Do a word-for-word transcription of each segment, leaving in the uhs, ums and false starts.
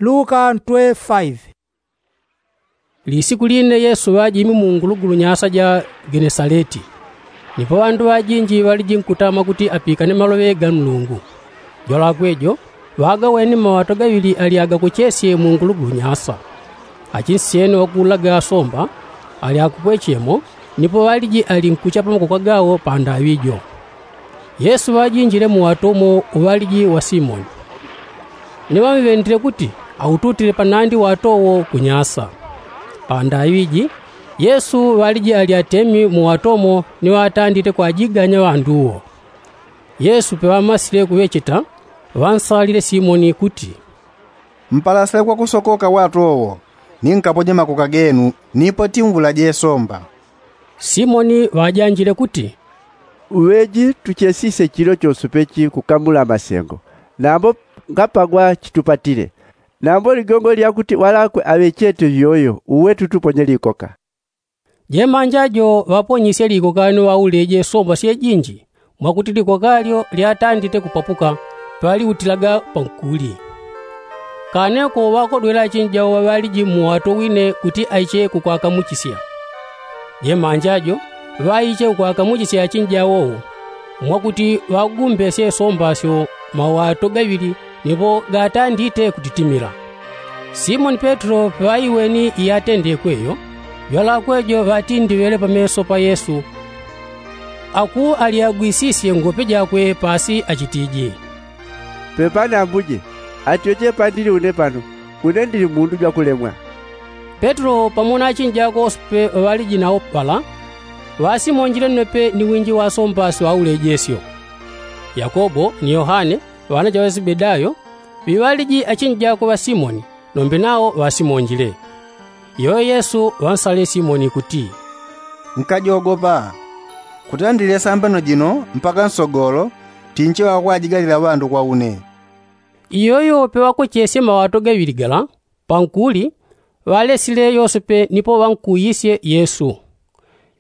Luka ntwe faive. Lisiku line yesu ŵajimi mu ngulugulu nyasa ja genesaleti. Nipo ŵandu ŵajinji ŵaliji nkutama kuti apikane maloŵe ga nlungu. Jwalakwe jo ŵagaweni maŵato gaŵili ali agakochesye mu ngulugulu nyasa. Achinsyene ŵakuulaga asomba ali akupwechemo. Nipo ŵaliji ali nkuchapa makoko gawo pandaŵi jo. Yesu ŵajinjile mu wato umo uŵaliji wa simoni. Ni ŵamŵendile kuti aututile panandi wato wo kunyasa. Pandaŵi ji yesu ŵaliji ali atemi mu wato umo ni ŵatandite kwajiganya ŵandu wo. Yesu peŵamasile kuŵecheta ŵansalile simoni kuti, mpalasile kwakusokoka wato wo ni nkaponye makoka genu nipo timvulaje nsomba. Simoni ŵajanjile kuti, uŵeji tuchesisye chilo chonse pechi kukamula masengo, nambo ngapagwa chitupatile. Nambo ligongo lya kuti ŵalakwe aŵechete vyoyo uwe tutuponye likoka. Jemanja jo ŵaponyisye likoka ni ŵauleje somba syejinji mwakuti likoka lyo lyatandite kupapuka. Paliutilaga pankuli. Kane ko ŵakodwele achinjau ŵaŵaliji mmuwato wine kuti aiche kukwakamuchisya. Jemanja jo ŵaiche kukwakamuchisya achinjau wo mwakuti ŵagumbesye somba syo mawato gaŵili nipo gatandite kutitimila. Simoni petelo peŵaiweni iyatendekwe yo jwalakwe jo ŵatindiŵele pameso pa yesu. Aku alyagwisisye ngope jakwe pasi achitiji, pepani ambuje, atyoche pandili une pano. Une ndili mundu jwakulemwa. Petelo pamo na achinji ako onse pe ŵaliji nawo pala ŵasimonjile nnope ni winji wa asomba si ŵaulejesyo. Yakobo ni yohane ŵana ja ŵasibedayo ŵiŵaliji achinji ako ŵa simoni nombe nawo ŵasimonjile. Iyoyo yesu ŵansalile simoni kuti, nkajogopa. Kutandile sambano jino mpaka nsogolo tinche ŵakwajigalila ŵandu kwa une. Iyoyo peŵakochesye mawato gaŵili gala pankuli ŵalesile yose pe nipo ŵankuuyisye yesu.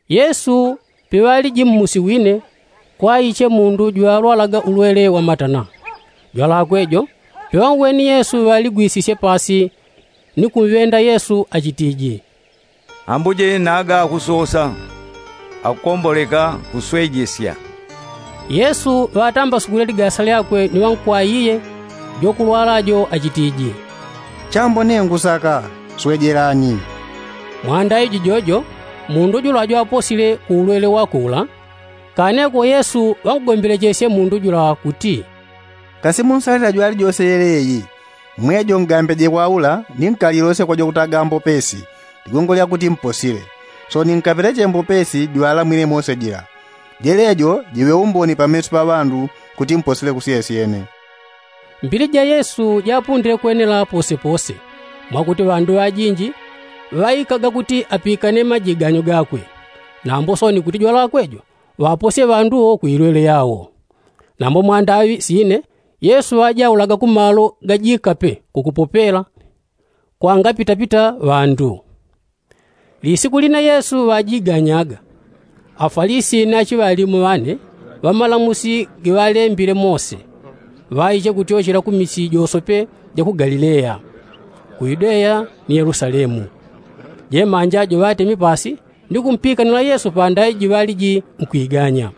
Yesu peŵaliji mmusi wine kwaiche mundu jwalwalaga ulwele wa matana. Jwalakwe jo peŵanweni yesu ŵaligwisisye pasi ni kumŵenda yesu achitiji, ambuje naga akusosa akukomboleka kuswejesya. Yesu ŵatambasugwile ligasa lyakwe ni ŵankwaiye jokulwala jo achitiji, chambo ne ngusaka. Swejelani. Mwanda iji jojo mundu jula jwaposile ku ulwele wakwe ula. Kane ko yesu ŵankugombelechesye mundu jula kuti, kasi munsalila jwali jose yeleyi. Mwejo ngambeje kwa ula ni nkalilosye kwa jwakutaga mbopesi ligongo lya kuti mposile. Soni nkapeleche mbopesi jwala mwine mose jila. Jelejo jiŵe umboni pameso pa ŵandu kuti mposile kusyesyene. Mbili ja yesu japundile kwenela posepose mwakuti ŵandu ŵajinji ŵaikaga kuti apikane majiganyo gakwe. Nambo soni kuti jwalakwe jo ŵaposye ŵandu wo ku ilwele yawo. Nambo mwandaŵi sine yesu ŵajaulaga ku malo gajikape kukupopela kwangapitapita ŵandu. Lisiku line yesu ŵajiganyaga afalisi ni achiŵalimu ŵane ŵamalamusi giŵalembile mose ŵaiche kutyochela ku misi josope ja ku galileya, ku yudeya ni yelusalemu. Jemanja jo ŵatemi pasi ni kumpikanila yesu pandaiji ŵaliji nkwiganya.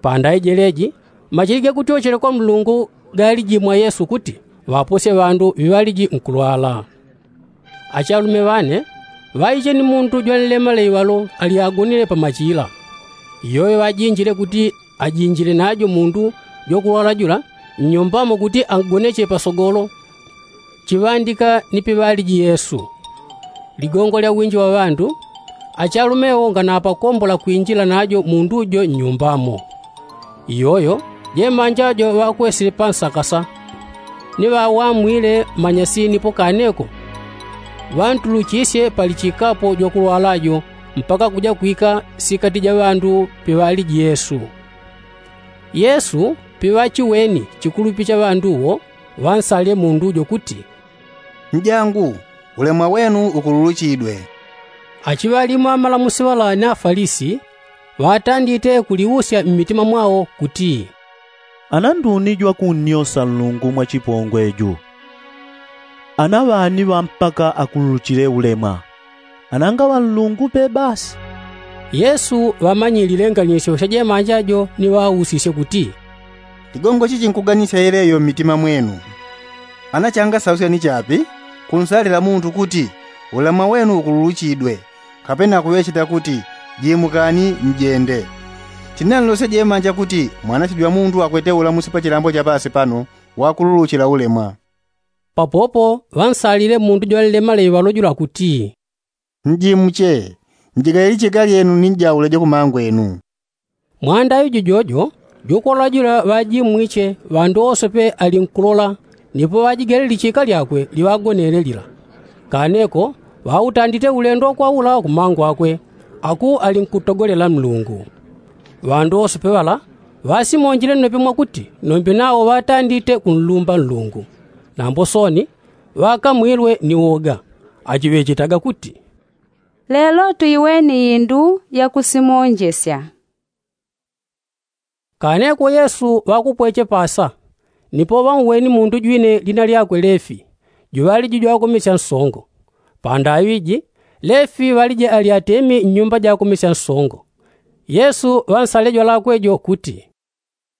Pandaiji leji machili gakutyochela kwa mlungu galiji mwa yesu kuti ŵaposye ŵandu ŵiŵaliji nkulwala. Achalume ŵane ŵaiche ni mundu jwanlema leiŵalo ali agonile pamachila. Iyoyo ŵajinjile kuti ajinjile najo mundu jwakulwala jula nnyumbamo kuti angoneche pasogolo chiŵandika ni piŵaliji yesu. Ligongo lya winji wa ŵandu achalume wo nganapakombola kwinjila najo mundu jo nnyumbamo. Iyoyo jemanja jo ŵakwesile pansakasa ni ŵawamwile manyasi nipo kaneko ŵantuluchisye pali chikapo jwakulwala jo mpaka kuja kwika sikati ja ŵandu piŵaliji yesu. Yesu piŵachiweni chikulupi cha ŵandu wo ŵansalile mundu jo kuti, njangu, ulemwa wenu ukululuchidwe. Achiŵalimu amalamusi ŵala ni afalisi ŵatandite kuliusya mmitima mwawo kuti, ana nduni jwakunnyosa nlungu mwa chipongwe ju? Ana ŵani ŵampaka akululuchile ulemwa? Ana nga ŵanlungu pe basi? Yesu ŵamanyilile nganisyo sha jemanja jo ni ŵausisye kuti, ligongo chichi nkuganisya yeleyo mmitima mwenu? Ana changasausya ni chapi kunsalila muntu kuti ulemwa wenu ukululuchidwe, kapena kuŵecheta kuti, jimukani njende? Chinanlosye jemanja kuti mwanasyo jwa mundu akwete ulamusi pa chilambo cha pasi pano wakululuchila ulemwa. Papopo ŵansalile mundu jwalile maleŵe ŵalojola kuti, njimuche, njigale lichika lyenu ni njauleje kumangwenu. Mwanda yu jujojo jukwalajula ŵajimwiche ŵandu wose pe ali nkulola, nipo ŵajigele lichika lyakwe liŵagonele lila. Kaneko ŵautandite ulendo kwawula kumangwakwe, aku ali nkutogolela nlungu. Ŵandu wose pe ŵala ŵasimonjile nnope mwakuti nombe nawo ŵatandite kunlumba nlungu. Nambo soni ŵakamwilwe ni woga, achiŵechetaga kuti, lelo tuiweni indu yakusimonjesya. Kaneko yesu ŵakupweche pasa, nipo ŵanweni mundu jwine lina lyakwe lefi, juŵaliji jwakomesya nsongo. Pandaŵi ji lefi ŵaliji ali atemi nnyumba jakomesya nsongo. Yesu ŵansale jwalakwe jo kuti,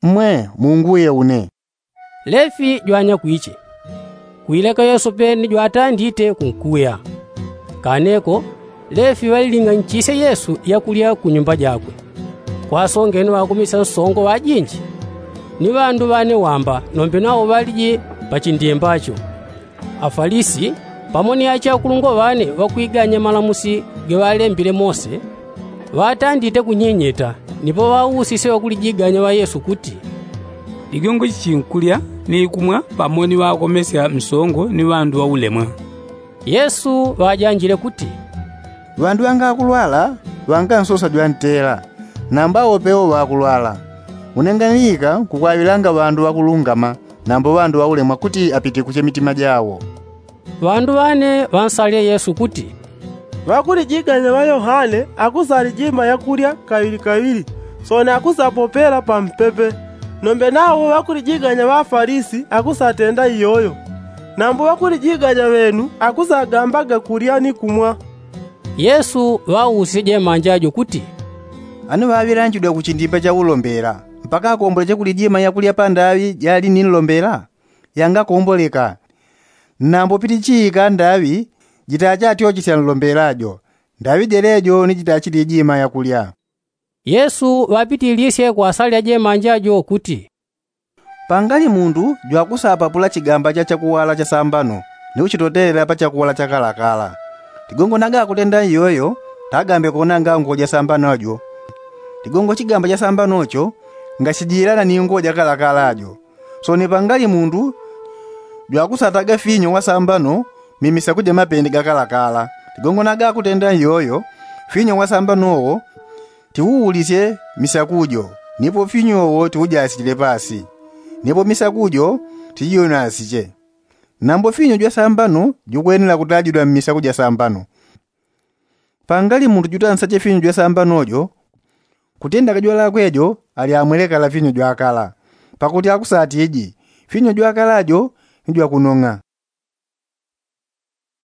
mwe, munguye une. Lefi jwanyakwiche. Kwileka yesu pe ni jwatandite kunkuya. Kaneko lefi ŵaliling'anchisye yesu yakulya kunyumba jakwe. Kwasongene ŵakumisya nsongo ŵajinji ni ŵandu ŵane wamba nombe nawo ŵaliji pachindimba cho. Afalisi pamo ni achakulungwa ŵane ŵakwiganya malamusi gaŵalembile mose, ŵatandite kunyinyita. Nipo ŵausisye ŵakulijiganya ŵa yesu kuti, ligongo chichinkulya ni kumwa pamo ni ŵakomesya msongo ni ŵandu ŵaulemwa? Yesu ŵajanjile kuti, ŵandu ŵangakulwala ŵangansosa jwantela, nambo awo pewo ŵakulwala. Unenganilika nkukwaŵilanga ŵandu ŵakulungama nambo ŵandu ŵaulemwa kuti apitikuche mitima jawo. Ŵandu ŵane ŵansalile yesu kuti, ŵakulijiganya ŵa yohane akusalijima yakulya kaŵilikaŵili, soni akusapopela pampepe. Nombe nawo ŵakulijiganya ŵa afalisi akusatenda iyoyo. Nambo ŵakulijiganya ŵenu akusagambaga kulya ni kumwa. Yesu ŵausisye jemanja jo kuti, ani ŵaŵilanjidwa kuchindimba cha ulombela mpaka akomboleche kulijima yakulya pandaŵi jali ni nlombela? Yangakomboleka. Nambo pitichiika ndaŵi jitachatyochesya nlombela jo, ndaŵi jelejo ni jitachilijima yakulya. Yesu ŵapitilisye kwasalila jemanja jo kuti, pangali mundu jwakusapapula chigamba cha chakuwala cha sambano ni kuchitotelela pa chakuwala cha kalakala. Ligongo naga akutenda iyoyo tagambe kuonanga nguwo ja sambano jo. Ligongo chigamba cha sambano cho ngachijilana ni nguwo ja kalakala jo. Soni pangali mundu jwakusataga finyo wasambano mmisaku ja mapende gakalakala. Ligongo naga akutenda iyoyo finyo wasambano wo tiuulisye misaku jo, nipo finyo wo tiujasile pasi, nipo misaku jo tijionasiche. Nambo finyo jwa sambano jukwenela kutajidwa mmisaku ja sambano. Pangali mundu jutansache finyo jwa sambano jo, kutenda kajwalakwe jo ali amwelekala finyo jwakala, pakuti akusatiji finyo jwakala jo ni jwakunong'a.